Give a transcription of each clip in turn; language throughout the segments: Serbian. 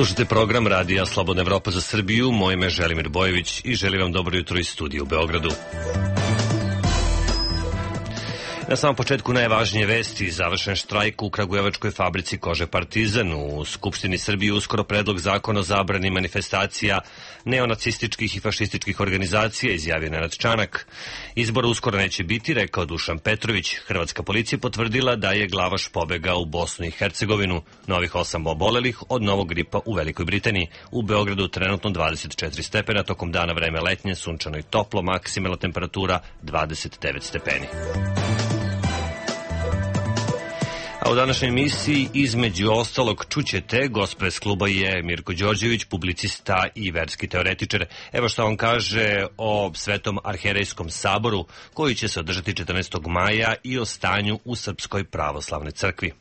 Slušajte program Radija Slobodna Evropa za Srbiju. Moje ime je Želimir Bojević i želim vam dobro jutro iz studija u Beogradu. Na samom početku najvažnije vesti: završen štrajk u kragujevačkoj fabrici kože Partizan. U Skupštini Srbije uskoro predlog zakona o zabrani manifestacija neonacističkih i fašističkih organizacija, izjavio Nenad Čanak. Izbora uskoro neće biti, rekao Dušan Petrović. Hrvatska policija potvrdila da je Glavaš pobegao u Bosnu i Hercegovinu. Novih 8 obolelih od novog gripa u Velikoj Britaniji. U Beogradu trenutno 24 stepena, tokom dana vreme letnje, sunčano i toplo, maksimalna temperatura 29 stepeni. A u današnjoj emisiji, između ostalog, čućete, gost pres kluba je Mirko Đorđević, publicista i verski teoretičar. Evo što on kaže o Svetom arhijerejskom saboru, koji će se održati 14. maja, i o stanju u Srpskoj pravoslavnoj crkvi.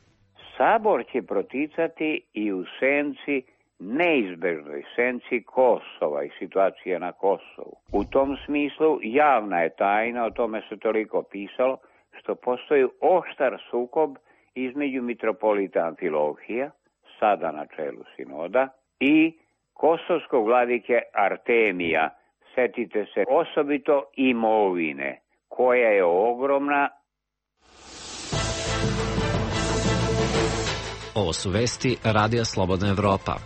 Sabor će proticati i u senci, neizbežnoj senci Kosova i situacije na Kosovu. U tom smislu javna je tajna, o tome se toliko pisalo, što postoji oštar sukob između mitropolita Amfilohija, sada na čelu sinoda, i kosovskog vladike Artemija. Setite se osobito imovine, koja je ogromna. Ovo su vesti Radija Slobodna Evropa.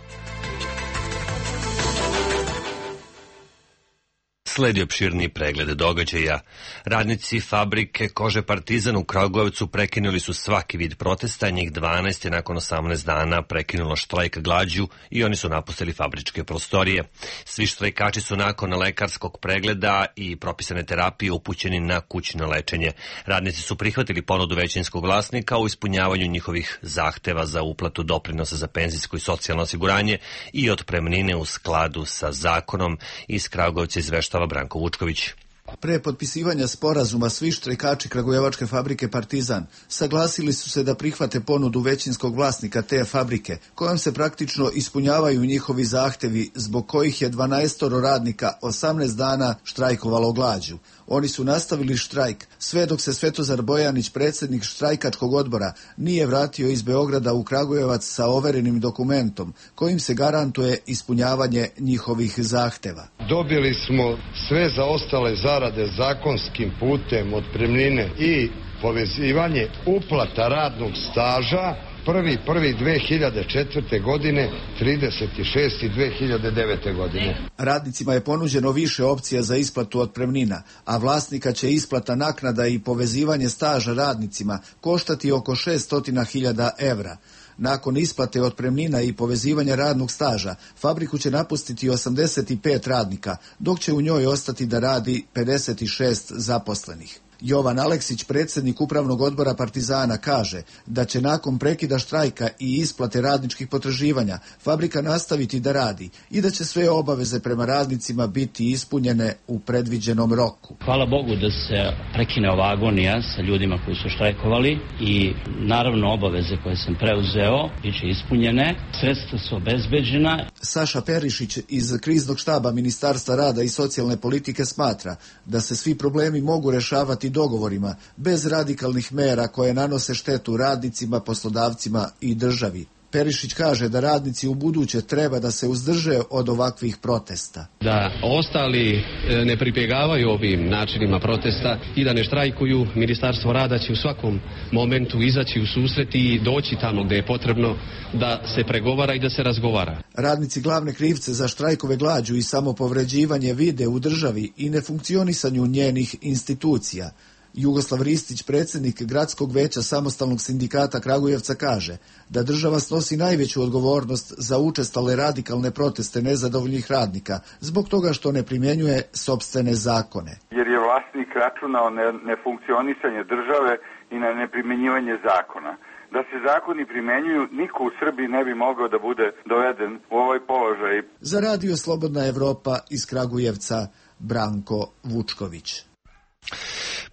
Sledi opširni pregled događaja. Radnici fabrike kože Partizan u Kragujevcu prekinuli su svaki vid protesta, njih 12 je nakon 18 dana prekinulo štrajk glađu i oni su napustili fabričke prostorije. Svi štrajkači su nakon lekarskog pregleda i propisane terapije upućeni na kućno lečenje. Radnici su prihvatili ponudu većinskog vlasnika u ispunjavanju njihovih zahteva za uplatu doprinosa za penzijsko i socijalno osiguranje i otpremnine u skladu sa zakonom. Iz Kragujevca izveštava Branko Vučković. Pre potpisivanja sporazuma svi štrajkači kragujevačke fabrike Partizan saglasili su se da prihvate ponudu većinskog vlasnika te fabrike, kojom se praktično ispunjavaju njihovi zahtevi, zbog kojih je 12 radnika 18 dana štrajkovalo glađu. Oni su nastavili štrajk sve dok se Svetozar Bojanić, predsjednik štrajkačkog odbora, nije vratio iz Beograda u Kragujevac sa overenim dokumentom kojim se garantuje ispunjavanje njihovih zahteva. Dobili smo sve zaostale zarade zakonskim putem, otpremnine i povezivanje uplata radnog staža 1.1.2004. godine, 30.6.2009. godine. Radnicima je ponuđeno više opcija za isplatu otpremnina, a vlasnika će isplata naknada i povezivanje staža radnicima koštati oko 600.000 evra. Nakon isplate otpremnina i povezivanja radnog staža, fabriku će napustiti 85 radnika, dok će u njoj ostati da radi 56 zaposlenih. Jovan Aleksić, predsjednik upravnog odbora Partizana, kaže da će nakon prekida štrajka i isplate radničkih potraživanja fabrika nastaviti da radi i da će sve obaveze prema radnicima biti ispunjene u predviđenom roku. Hvala Bogu da se prekine ova agonija sa ljudima koji su štrajkovali i naravno obaveze koje sam preuzeo biće ispunjene, sredstva su obezbeđena. Saša Perišić iz kriznog štaba Ministarstva rada i socijalne politike smatra da se svi problemi mogu rešavati dogovorima, bez radikalnih mera koje nanose štetu radnicima, poslodavcima i državi. Perišić kaže da radnici u buduće treba da se uzdrže od ovakvih protesta. Da ostali ne pribjegavaju ovim načinima protesta i da ne štrajkuju, Ministarstvo rada će u svakom momentu izaći u susret i doći tamo gdje je potrebno da se pregovara i da se razgovara. Radnici glavne krivce za štrajkove glađu i samopovređivanje vide u državi i nefunkcionisanju njenih institucija. Jugoslav Ristić, predsjednik Gradskog veća Samostalnog sindikata Kragujevca, kaže da država snosi najveću odgovornost za učestale radikalne proteste nezadovoljnih radnika zbog toga što ne primjenjuje sopstvene zakone. Jer je vlasnik računao na nefunkcionisanje države i na neprimjenjivanje zakona. Da se zakoni primenjuju, niko u Srbiji ne bi mogao da bude doveden u ovaj položaj. Za Radio Slobodna Evropa iz Kragujevca, Branko Vučković.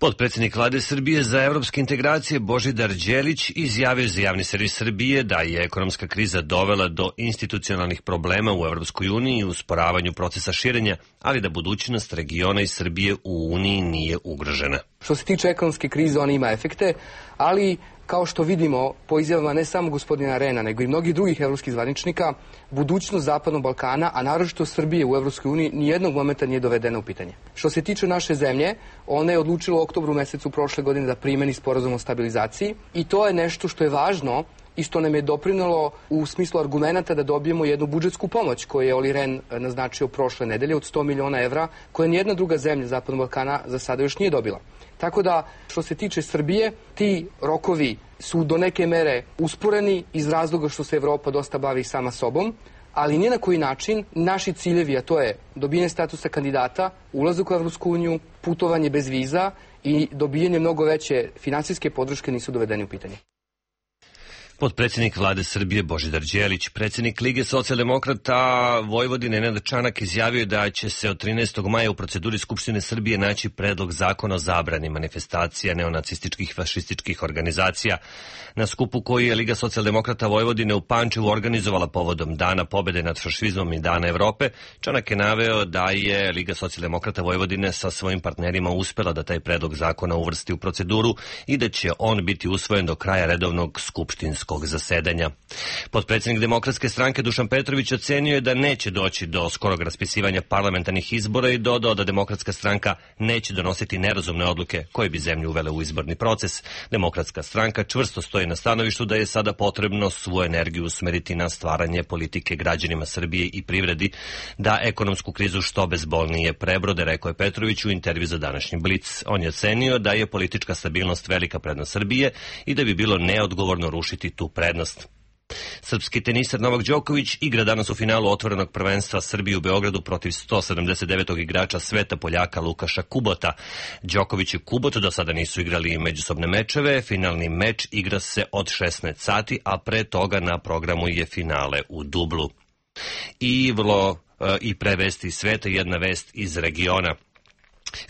Potpredsjednik Vlade Srbije za evropske integracije Božidar Đelić izjavio za javni servis Srbije da je ekonomska kriza dovela do institucionalnih problema u Evropskoj uniji i usporavanju procesa širenja, ali da budućnost regiona i Srbije u Uniji nije ugrožena. Što se tiče ekonomske krize, ona ima efekte, ali kao što vidimo po izjavama ne samo gospodina Rena, nego i mnogih drugih evropskih zvaničnika, budućnost Zapadnog Balkana, a naročito Srbije u Evropskoj uniji, nijednog momenta nije dovedena u pitanje. Što se tiče naše zemlje, ona je odlučila u oktobru mesecu prošle godine da primeni sporazum o stabilizaciji i to je nešto što je važno i što nam je doprinelo u smislu argumenta da dobijemo jednu budžetsku pomoć koju je Oli Ren naznačio prošle nedelje od 100 miliona evra, koje nijedna druga zemlja Zapadnog Balkana za sada još nije dobila. Tako da, što se tiče Srbije, ti rokovi su do neke mere usporeni iz razloga što se Evropa dosta bavi sama sobom, ali ni na koji način naši ciljevi, a to je dobijanje statusa kandidata, ulazak u Evropsku uniju, putovanje bez viza i dobijanje mnogo veće finansijske podrške nisu dovedeni u pitanje. Potpredsjednik vlade Srbije Božidar Đelić, predsjednik Lige socijaldemokrata Vojvodine Nenad Čanak izjavio da će se od 13. maja u proceduri Skupštine Srbije naći predlog zakona o zabrani manifestacija neonacističkih i fašističkih organizacija. Na skupu koji je Liga socijaldemokrata Vojvodine u Pančevu organizovala povodom Dana pobede nad fašizmom i Dana Evrope, Čanak je naveo da je Liga socijaldemokrata Vojvodine sa svojim partnerima uspela da taj predlog zakona uvrsti u proceduru i da će on biti usvojen do kraja redovnog skupštinskog zasedanja. Potpredsjednik Demokratske stranke Dušan Petrović ocenio je da neće doći do skorog raspisivanja parlamentarnih izbora i dodao da Demokratska stranka neće donositi nerazumne odluke koje bi zemlju uvele u izborni proces. Demokratska stranka čvrsto stoji na stanovištu da je sada potrebno svu energiju usmeriti na stvaranje politike građanima Srbije i privredi, da ekonomsku krizu što bezbolnije prebrode, rekao je Petrović u intervju za današnji Blic. On je ocenio da je politička stabilnost velika prednost Srbije i da bi bilo neodgovorno rušiti tu prednost. Srpski teniser Novak Đoković igra danas u finalu otvorenog prvenstva Srbije u Beogradu protiv 179. igrača sveta Poljaka Lukaša Kubota. Đoković i Kubot do sada nisu igrali međusobne mečeve, finalni meč igra se od 16 sati, a pre toga na programu je finale u dublu. I pre vesti sveta jedna vest iz regiona.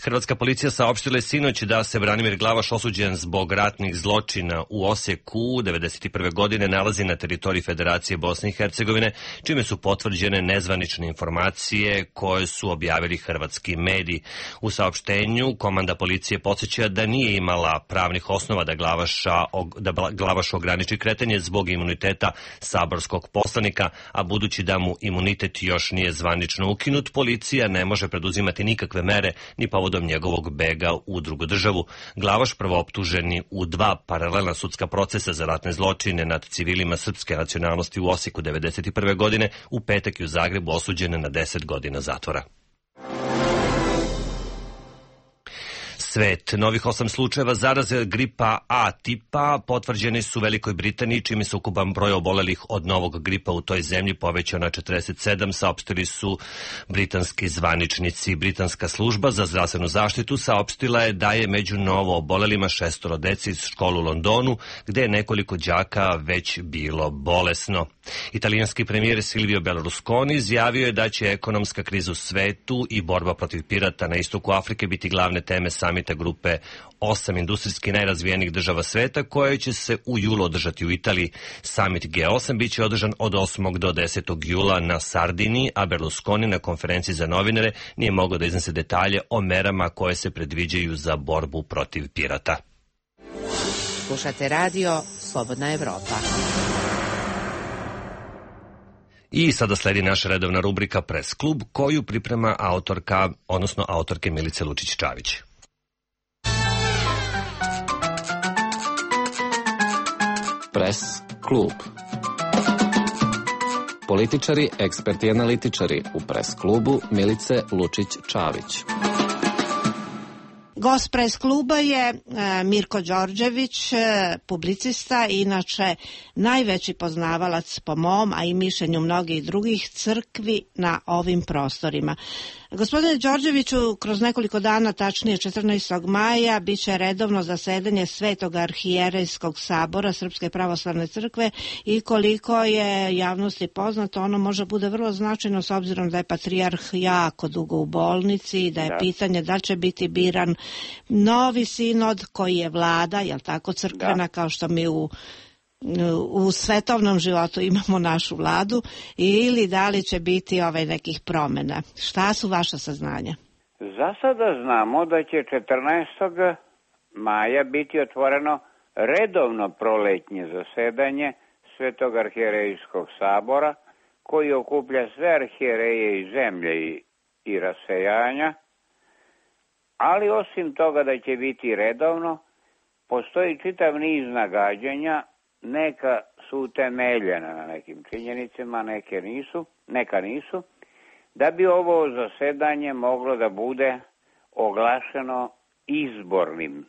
Hrvatska policija saopštila je sinoć da se Branimir Glavaš, osuđen zbog ratnih zločina u Osijeku 1991. godine, nalazi na teritoriji Federacije Bosne i Hercegovine, čime su potvrđene nezvanične informacije koje su objavili hrvatski mediji. U saopštenju komanda policije podsjeća da nije imala pravnih osnova da Glavaš ograniči kretanje zbog imuniteta saborskog poslanika, a budući da mu imunitet još nije zvanično ukinut, policija ne može preduzimati nikakve mere ni povodom njegovog bega u drugu državu. Glavaš, prvooptuženi u 2 paralelna sudska procesa za ratne zločine nad civilima srpske nacionalnosti u Osijeku 1991. godine, u petak i u Zagrebu osuđene na 10 godina zatvora. Svet. Novih 8 slučajeva zaraze gripa A tipa potvrđeni su u Velikoj Britaniji, čime se ukupan broj obolelih od novog gripa u toj zemlji povećao na 47, saopštili su britanski zvaničnici. Britanska služba za zdravstvenu zaštitu saopštila je da je među novo obolelima 6 dece iz škole u Londonu, gde je nekoliko đaka već bilo bolesno. Italijanski premijer Silvio Berlusconi izjavio je da će ekonomska kriza u svetu i borba protiv pirata na istoku Afrike biti glavne teme samita grupe 8 industrijski najrazvijenijih država sveta, koje će se u julu održati u Italiji. Samit G8 biće održan od 8. do 10. jula na Sardiniji, a Berlusconi na konferenciji za novinare nije mogao da iznese detalje o merama koje se predviđaju za borbu protiv pirata. Slušate radio Slobodna Evropa. I sada sledi naša redovna rubrika Press klub, koju priprema autorke Milice Lučić-Čavić. Press klub. Političari, eksperti i analitičari u Press klubu Milice Lučić-Čavić. Gost Press kluba je Mirko Đorđević, publicista, inače najveći poznavalac po mom, a i mišljenju mnogih drugih, crkvi na ovim prostorima. Gospodine Đorđeviću, kroz nekoliko dana, tačnije 14. maja, bit će redovno zasedanje Svetog arhijerejskog sabora Srpske pravoslavne crkve i koliko je javnosti poznato, ono može bude vrlo značajno s obzirom da je patrijarh jako dugo u bolnici i da je pitanje da će biti biran novi sinod koji je vlada, jel tako, crkvena, kao što mi u svetovnom životu imamo našu vladu, ili da li će biti nekih promjena. Šta su vaša saznanja? Za sada znamo da će 14. maja biti otvoreno redovno proletnje zasedanje Svetog arhijerejskog sabora, koji okuplja sve arhijereje iz zemlje i rasejanja, ali osim toga da će biti redovno, postoji čitav niz nagađanja, neka su utemeljena na nekim činjenicama, neka nisu, da bi ovo zasedanje moglo da bude oglašeno izbornim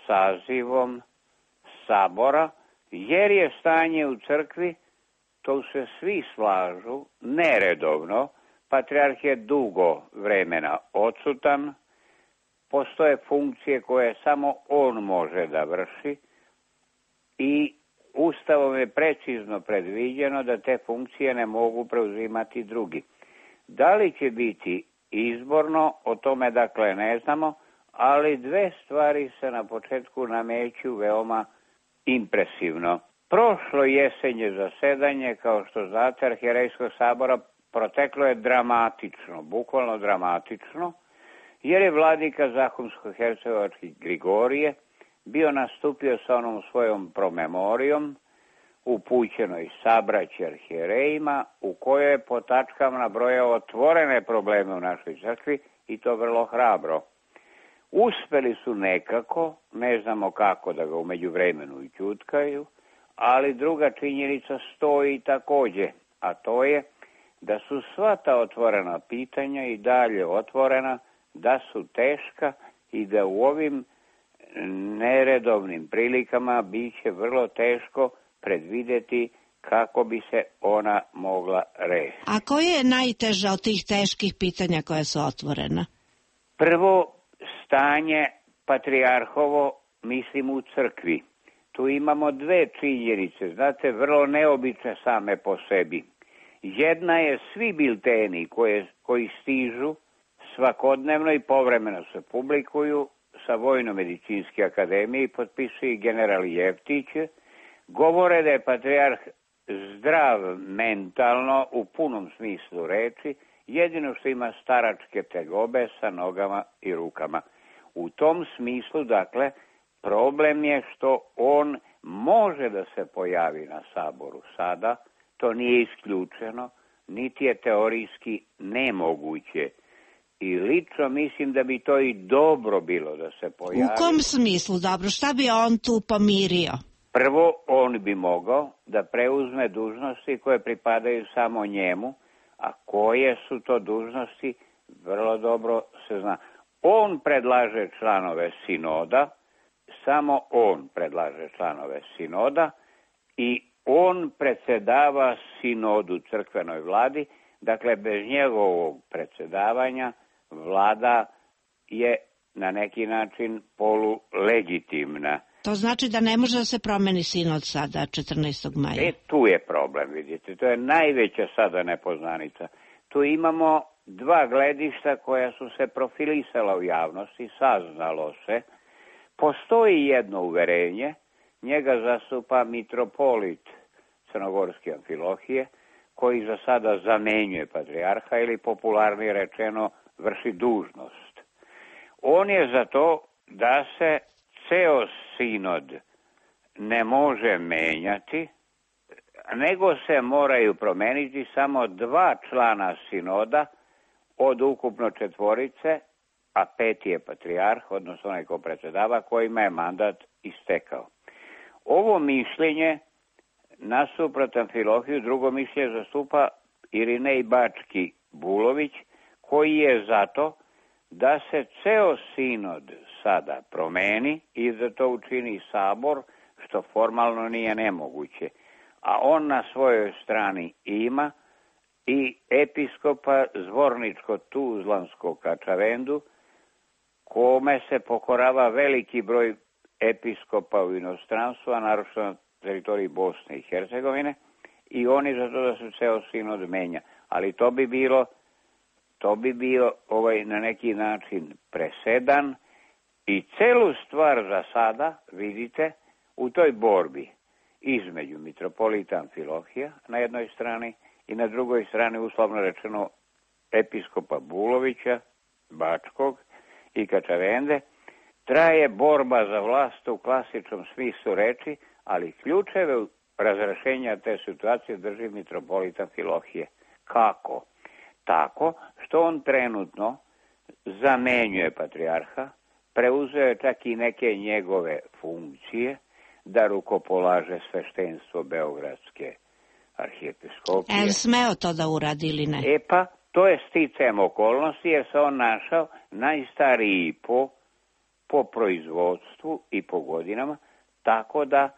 sazivom sabora, jer je stanje u crkvi, to se svi slažu, neredovno, patrijarh je dugo vremena odsutan, postoje funkcije koje samo on može da vrši i Ustavom je precizno predviđeno da te funkcije ne mogu preuzimati drugi. Da li će biti izborno, o tome dakle ne znamo, ali dve stvari se na početku nameću veoma impresivno. Prošlo jesenje zasedanje, kao što znate, Arhijerejskog sabora proteklo je dramatično, bukvalno dramatično, jer je vladika Zahumsko-hercegovački Grigorije bio nastupio sa onom svojom promemorijom upućenoj sabraći arhijerejima, u kojoj je po tačkama nabrojao otvorene probleme u našoj crkvi i to vrlo hrabro. Uspeli su nekako, ne znamo kako da ga u međuvremenu ćutkaju, ali druga činjenica stoji također, a to je da su sva ta otvorena pitanja i dalje otvorena, da su teška i da u ovim neredovnim prilikama bit će vrlo teško predvidjeti kako bi se ona mogla rešiti. A koje je najteže od tih teških pitanja koja su otvorena? Prvo, stanje patrijarhovo, mislim u crkvi. Tu imamo dve činjenice, znate, vrlo neobične same po sebi. Jedna je svi bilteni koji stižu svakodnevno i povremeno se publikuju sa Vojno-medicinske akademije i potpisuje general Jeftić, govore da je patrijarh zdrav mentalno u punom smislu reči, jedino što ima staračke tegobe sa nogama i rukama. U tom smislu, dakle, problem je što on može da se pojavi na saboru sada, to nije isključeno, niti je teorijski nemoguće. I lično mislim da bi to i dobro bilo da se pojavi. U kom smislu dobro? Šta bi on tu pomirio? Prvo, on bi mogao da preuzme dužnosti koje pripadaju samo njemu, a koje su to dužnosti, vrlo dobro se zna. On predlaže članove sinoda, samo on predlaže članove sinoda i on predsedava sinodu crkvenoj vladi, dakle bez njegovog predsedavanja vlada je na neki način polulegitimna. To znači da ne može da se promeni sinod sada 14. maja. Tu je problem, vidite, to je najveća sada nepoznanica. Tu imamo dva gledišta koja su se profilisala u javnosti, saznalo se. Postoji jedno uverenje, njega zastupa mitropolit Crnogorske Amfilohije, koji za sada zamenjuje patrijarha ili popularnije rečeno vrši dužnost. On je za to da se ceo sinod ne može menjati, nego se moraju promeniti samo dva člana sinoda od ukupno 4, a 5 je patrijarh, odnosno onaj ko predsedava, kojima je mandat istekao. Ovo mišljenje nasuprot Amfilohiju, drugo mišljenje zastupa Irinej Bački Bulović, koji je zato da se ceo sinod sada promeni i da to učini sabor, što formalno nije nemoguće. A on na svojoj strani ima i episkopa Zvorničko-Tuzlanskog Kačavendu, kome se pokorava veliki broj episkopa u inostranstvu, a naročito na teritoriji Bosne i Hercegovine, i oni za to da se ceo sinod menja. Ali to bi bio na neki način presedan i celu stvar za sada, vidite, u toj borbi između mitropolita Amfilohija na jednoj strani i na drugoj strani, uslovno rečeno, episkopa Bulovića, Bačkog i Kačavende, traje borba za vlast u klasičnom smislu reči, ali ključeve razrešenja te situacije drži mitropolita Amfilohije. Kako? Tako što on trenutno zamenjuje patrijarha, preuzeo je čak i neke njegove funkcije, da rukopolaže sveštenstvo Beogradske arhijepiskopije. Smeo to da uradi ili ne? Pa, to je sticajem okolnosti jer se on našao najstariji po proizvodstvu i po godinama, tako da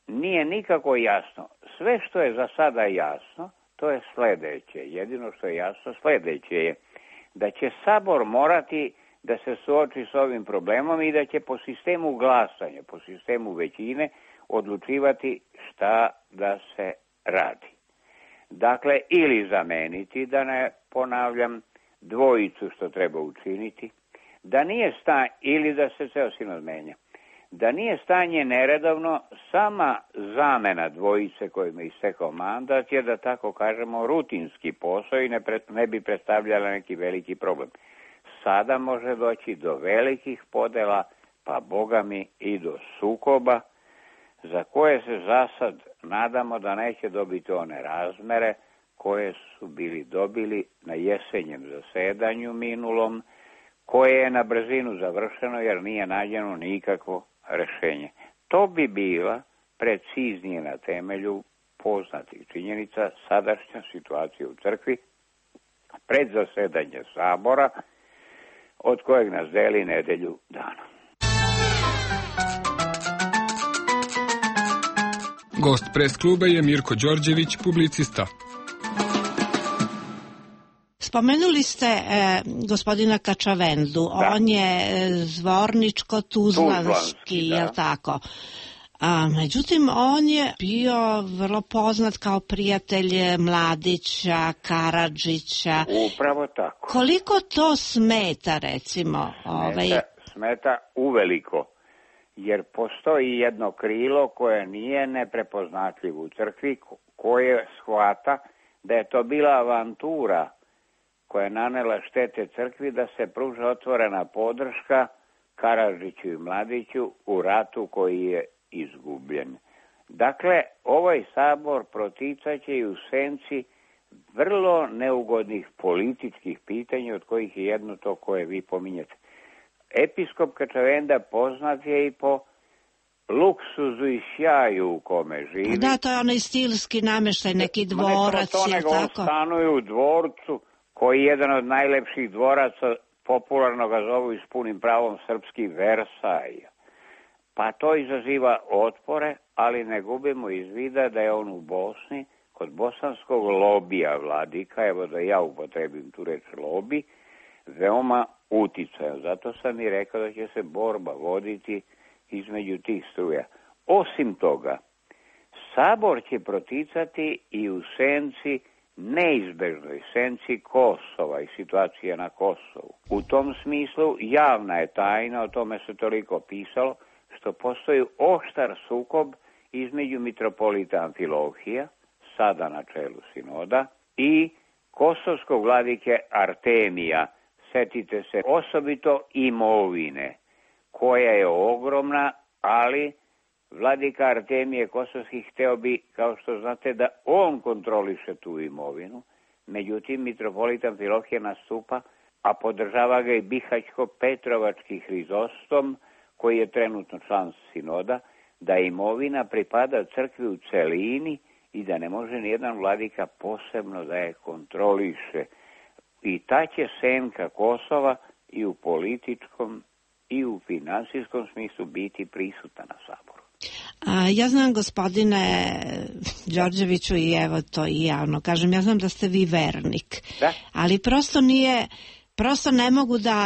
nije nikako jasno. Sve što je za sada jasno, to je sledeće. Jedino što je jasno sledeće je da će Sabor morati da se suoči s ovim problemom i da će po sistemu glasanja, po sistemu većine, odlučivati šta da se radi. Dakle, ili zameniti, da ne ponavljam, dvojicu što treba učiniti, da nije ili da se ceo sinod menja. Da nije stanje neredovno, sama zamena dvojice kojima je istekao mandat je, da tako kažemo, rutinski posao i ne bi predstavljala neki veliki problem. Sada može doći do velikih podela, pa Boga mi i do sukoba, za koje se zasad nadamo da neće dobiti one razmere koje su dobili na jesenjem zasedanju minulom, koje je na brzinu završeno jer nije nađeno nikakvo rešenje. To bi bila preciznije na temelju poznatih činjenica sadašnja situacija u crkvi pred zasedanje Sabora, od kojeg nas deli nedelju dana. Gost pres kluba je Mirko Đorđević, publicista. Spomenuli ste gospodina Kačavendu, on je zvorničko-tuzlanski, je li tako? Međutim, on je bio vrlo poznat kao prijatelj Mladića, Karadžića. Upravo tako. Koliko to smeta, recimo? Smeta uveliko, jer postoji jedno krilo koje nije neprepoznatljivo u crkvi, koje shvata da je to bila avantura koja je nanela štete crkvi, da se pruža otvorena podrška Karadžiću i Mladiću u ratu koji je izgubljen. Dakle, ovaj sabor proticaće i u senci vrlo neugodnih političkih pitanja, od kojih je jedno to koje vi pominjete. Episkop Kačavenda poznat je i po luksuzu i sjaju u kome živi. Da, to je onaj stilski nameštaj, neki dvorac, je tako? On stanuje u dvorcu, koji je jedan od najlepših dvoraca, popularno ga zovu i s punim pravom srpski Versaj. Pa to izaziva otpore, ali ne gubimo iz vida da je on u Bosni, kod bosanskog lobija vladika, evo da ja upotrebim tu reč lobi, veoma uticajan. Zato sam i rekao da će se borba voditi između tih struja. Osim toga, Sabor će proticati i u senci, neizbežnoj senci Kosova i situacije na Kosovu. U tom smislu javna je tajna, o tome se toliko pisalo, što postoji oštar sukob između mitropolita Amfilohija, sada na čelu sinoda, i kosovskog vladike Artemija. Setite se osobito imovine, koja je ogromna, ali vladika Artemije Kosovski hteo bi, kao što znate, da on kontroliše tu imovinu. Međutim, mitropolit Amfilohije nastupa, a podržava ga i Bihaćko-Petrovački Hrizostom, koji je trenutno član sinoda, da imovina pripada crkvi u celini i da ne može nijedan vladika posebno da je kontroliše. I ta će senka Kosova i u političkom i u finansijskom smislu biti prisutna na Saboru. Ja znam, gospodine Đorđeviću, i evo to i javno kažem, ja znam da ste vi vernik, da? Ali prosto ne mogu da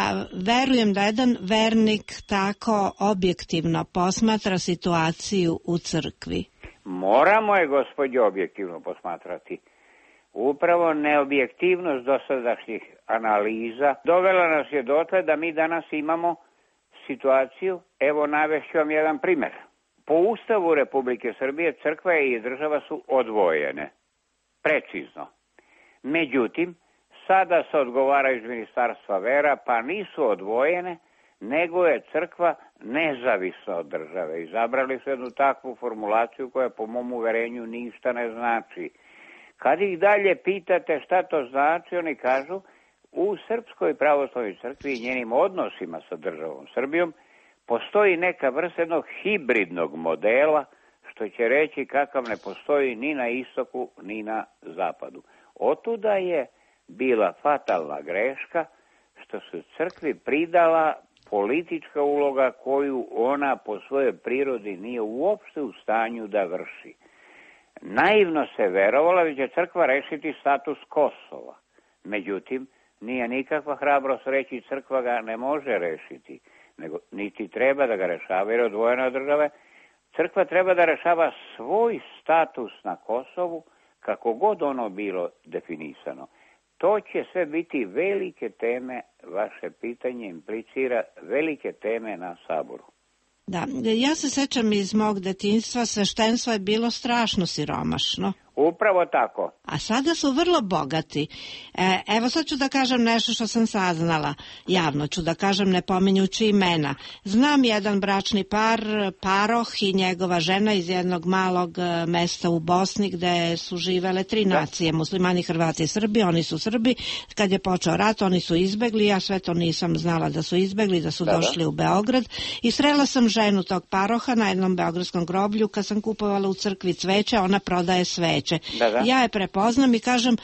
verujem da jedan vernik tako objektivno posmatra situaciju u crkvi. Moramo je, gospođo, objektivno posmatrati. Upravo neobjektivnost dosadašnjih analiza dovela nas je dotle da mi danas imamo situaciju, evo navešću vam jedan primer. Po Ustavu Republike Srbije crkva i država su odvojene, precizno. Međutim, sada se odgovaraju iz Ministarstva vera, pa nisu odvojene, nego je crkva nezavisna od države. Izabrali su jednu takvu formulaciju koja po mom uverenju ništa ne znači. Kad ih dalje pitate šta to znači, oni kažu u Srpskoj pravoslavnoj crkvi i njenim odnosima sa državom Srbijom postoji neka vrsta jednog hibridnog modela, što će reći kakav ne postoji ni na istoku ni na zapadu. Otuda je bila fatalna greška što se crkvi pridala politička uloga koju ona po svojoj prirodi nije uopšte u stanju da vrši. Naivno se verovala da će crkva rešiti status Kosova. Međutim, nije nikakva hrabrost reći crkva ga ne može rešiti, nego niti treba da ga rešava jer je odvojena od države. Crkva treba da rešava svoj status na Kosovu kako god ono bilo definisano. To će sve biti velike teme, vaše pitanje implicira velike teme na Saboru. Da, ja se sećam iz mog detinjstva, sveštenstvo je bilo strašno siromašno. Upravo tako. A sada su vrlo bogati. Evo sad ću da kažem nešto što sam saznala. Javno ću da kažem, ne pominjući imena. Znam jedan bračni par, paroh i njegova žena iz jednog malog mesta u Bosni gde su živele 3 nacije, muslimani, Hrvati i Srbi. Oni su Srbi. Kad je počeo rat, oni su izbegli. Ja sve to nisam znala da su izbegli, da su došli u Beograd. I srela sam ženu tog paroha na jednom beogradskom groblju. Kad sam kupovala u crkvi cveće, ona prodaje sveće. Ja je prepoznam i kažem,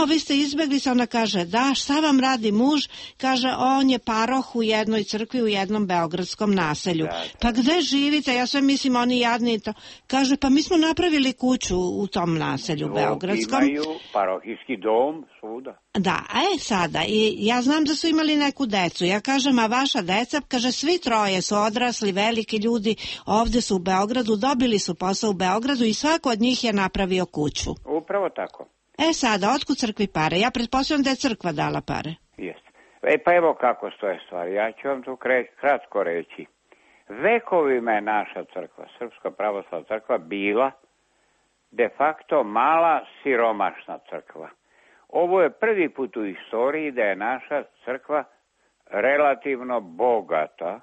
vi ste izbegli se, ona kaže, da, šta vam radi muž? Kaže, on je paroh u jednoj crkvi u jednom beogradskom naselju. Pa gde živite? Ja sve mislim, oni jadni to. Kaže, pa mi smo napravili kuću u tom naselju beogradskom. Imaju parohijski dom svuda. Da, sada, i ja znam da su imali neku decu. Ja kažem, a vaša deca? Kaže, svi 3 su odrasli, veliki ljudi, ovde su u Beogradu, dobili su posao u Beogradu i svako od njih je napravio kuću. Upravo tako. Sada, otkud crkvi pare? Ja pretpostavljam da je crkva dala pare. Jeste. Pa evo kako stoje stvari. Ja ću vam tu kratko reći. Vekovima je naša crkva, Srpska pravoslavna crkva, bila de facto mala siromašna crkva. Ovo je prvi put u istoriji da je naša crkva relativno bogata,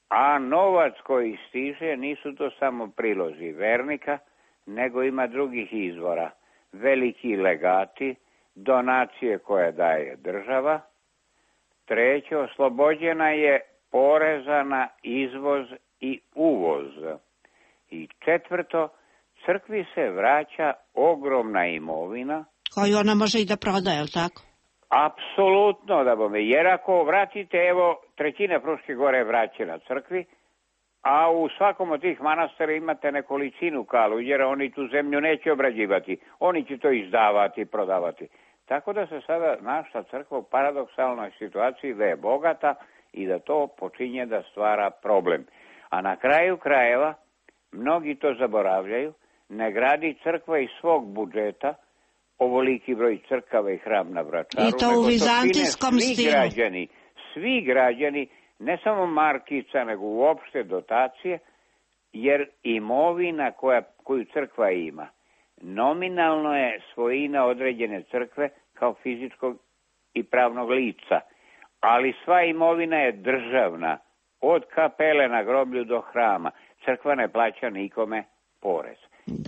a novac koji stiže nisu to samo prilozi vernika, nego ima drugih izvora. Veliki legati, donacije koje daje država. 3, oslobođena je poreza na izvoz i uvoz. I 4, crkvi se vraća ogromna imovina. Koju ona može i da prodaje, je li tako? Apsolutno da bome, jer ako vratite, evo, 1/3 Fruške gore je vraćena crkvi, a u svakom od tih manastira imate nekolicinu kaluđera, oni tu zemlju neće obrađivati, oni će to izdavati i prodavati. Tako da se sada naša crkva u paradoksalnoj situaciji da je bogata i da to počinje da stvara problem. A na kraju krajeva, mnogi to zaboravljaju, ne gradi crkva iz svog budžeta, ovoliki broj crkava i hram na Vračaru, i to u vizantijskom stilu. Svi građani, ne samo markica, nego uopšte dotacije, jer imovina koju crkva ima, nominalno je svojina određene crkve kao fizičkog i pravnog lica, ali sva imovina je državna, od kapele na groblju do hrama. Crkva ne plaća nikome porez.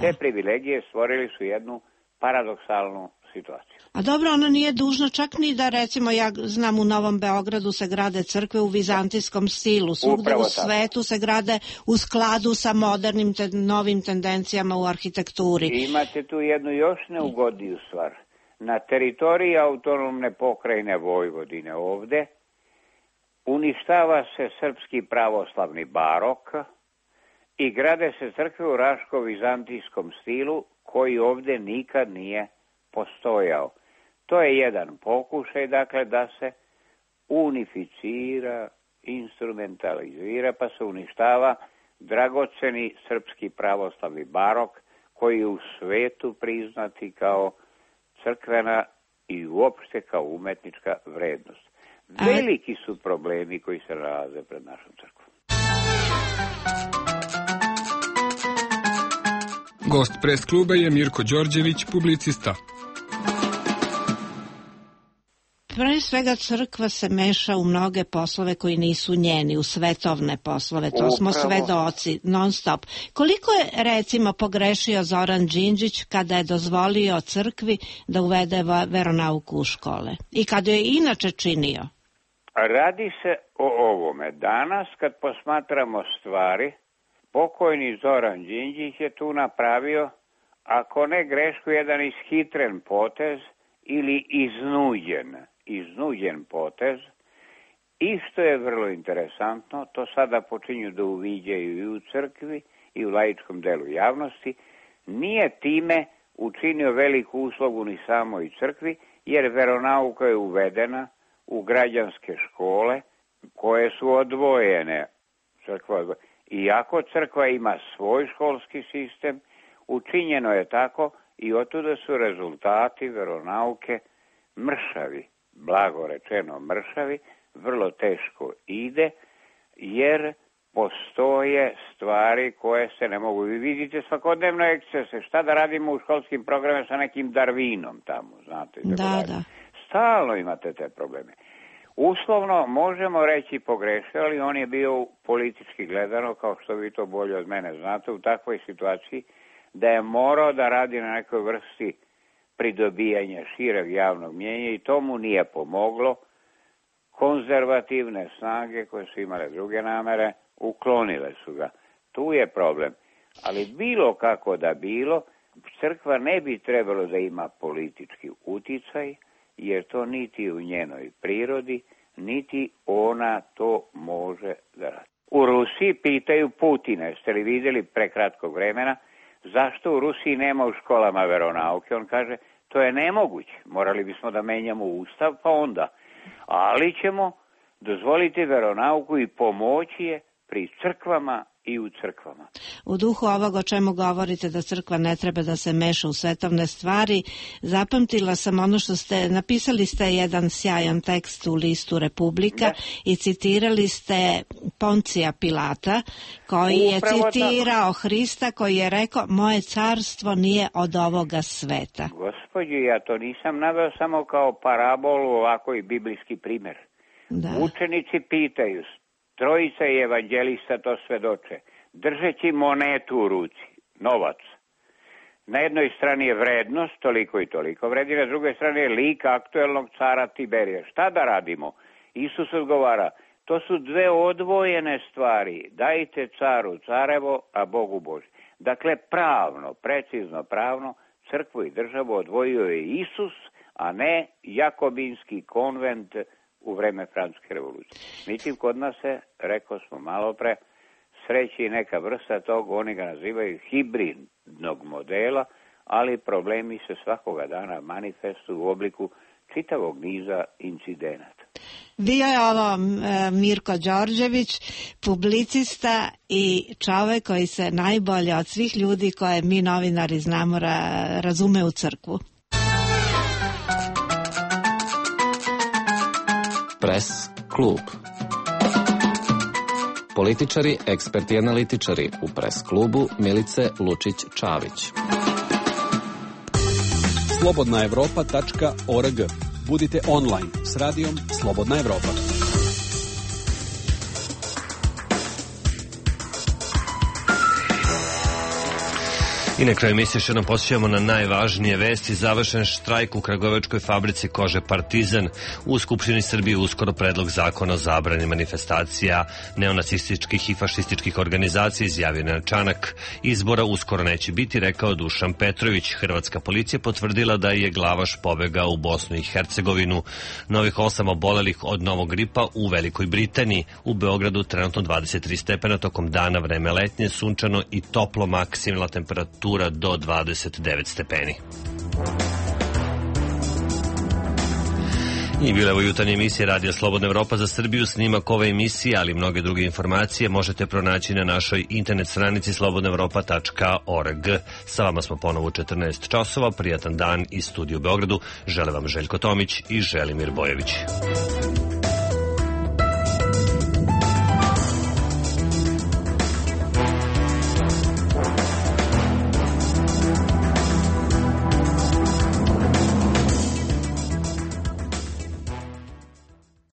Te privilegije stvorili su jednu paradoksalnu situaciju. A dobro, ona nije dužna čak ni da, recimo, ja znam u Novom Beogradu se grade crkve u vizantijskom stilu, svugde u svetu se grade u skladu sa modernim novim tendencijama u arhitekturi. Imate tu jednu još neugodniju stvar. Na teritoriji autonomne pokrajine Vojvodine ovde uništava se srpski pravoslavni barok i grade se crkve u raško-vizantijskom stilu koji ovde nikad nije postojao. To je jedan pokušaj, dakle, da se unificira, instrumentalizira, pa se uništava dragoceni srpski pravoslavni barok koji je u svetu priznati kao crkvena i uopšte kao umetnička vrednost. Veliki su problemi koji se nalaze pred našom crkvom. Gost pres kluba je Mirko Đorđević, publicista. Pre svega crkva se meša u mnoge poslove koji nisu njeni, u svetovne poslove, to smo svedoci non stop. Koliko je recimo pogrešio Zoran Đinđić kada je dozvolio crkvi da uvede veronauku u škole i kada je inače činio? Radi se o ovome. Danas kad posmatramo stvari, pokojni Zoran Đinđić je tu napravio, ako ne grešku, jedan ishitren potez ili iznuđen potez. I što je vrlo interesantno, to sada počinju da uviđaju i u crkvi i u laičkom delu javnosti, nije time učinio veliku uslugu ni samoj crkvi, jer veronauka je uvedena u građanske škole koje su odvojene. Iako crkva ima svoj školski sistem, učinjeno je tako i otuda su rezultati veronauke mršavi, blago rečeno mršavi, vrlo teško ide, jer postoje stvari koje se ne mogu. Vi vidite svakodnevno ekscese, šta da radimo u školskim programima sa nekim Darwinom tamo, znate. Da. Stalno imate te probleme. Uslovno možemo reći pogrešio, ali on je bio politički gledano, kao što vi to bolje od mene znate, u takvoj situaciji da je morao da radi na nekoj vrsti pridobijanja šireg javnog mnjenja i to mu nije pomoglo. Konzervativne snage koje su imale druge namere uklonile su ga. Tu je problem. Ali bilo kako da bilo, crkva ne bi trebalo da ima politički uticaj, jer to niti u njenoj prirodi, niti ona to može da radi. U Rusiji pitaju Putina, jeste li vidjeli pre kratkog vremena, zašto u Rusiji nema u školama veronauke? On kaže, to je nemoguće, morali bismo da menjamo ustav, pa onda. Ali ćemo dozvoliti veronauku i pomoći je pri crkvama i u crkvama. U duhu ovog o čemu govorite da crkva ne treba da se meša u svetovne stvari, zapamtila sam ono što napisali ste jedan sjajan tekst u listu Republika i citirali ste Poncija Pilata koji je citirao Hrista koji je rekao moje carstvo nije od ovoga sveta. Gospođo, ja to nisam naveo samo kao parabolu, ovako i biblijski primjer. Da. Učenici pitaju, trojica i evanđelista to svedoče, držeći monetu u ruci, novac. Na jednoj strani je vrednost, toliko i toliko vredi, na drugoj strani je lik aktuelnog cara Tiberija. Šta da radimo? Isus odgovara, to su dve odvojene stvari, dajte caru carevo, a Bogu Božje. Dakle, pravno, precizno pravno, crkvu i državu odvojio je Isus, a ne jakobinski konvent u vreme Francuske revolucije. Međutim, kod nas se, rekao smo malo pre, sreći neka vrsta tog, oni ga nazivaju hibridnog modela, ali problemi se svakoga dana manifestuju u obliku čitavog niza incidenata. Bio je ovo Mirko Đorđević, publicista i čovek koji se najbolje od svih ljudi koje mi novinari znamo razume u crkvu. Press klub. Političari, eksperti i analitičari u Press klubu Milice Lučić-Čavić. Slobodnaevropa.org. Budite online s radijom Slobodna Evropa. I na kraju emisije još jednom posjećamo na najvažnije vesti. Završen štrajk u kragujevačkoj fabrici kože Partizan. U Skupštini Srbije uskoro predlog zakona o zabrani manifestacija neonacističkih i fašističkih organizacija, izjavio Nenad Čanak. Izbora uskoro neće biti, rekao Dušan Petrović. Hrvatska policija potvrdila da je glavaš pobegao u Bosnu i Hercegovinu. Novih 8 obolelih od novog gripa u Velikoj Britaniji. U Beogradu trenutno 23 stepena, tokom dana vreme letnje, sunčano i toplo, maksimalna temperatura do 29 stepeni. I bila je u jutarnje emisije Radio Slobodna Evropa za Srbiju. Snimak ove emisije, ali i mnoge druge informacije možete pronaći na našoj internet stranici slobodnaevropa.org. Sa vama smo ponovo u 14 časova. Prijatan dan iz studiju u Beogradu. Žele vam Željko Tomić i Želimir Bojević.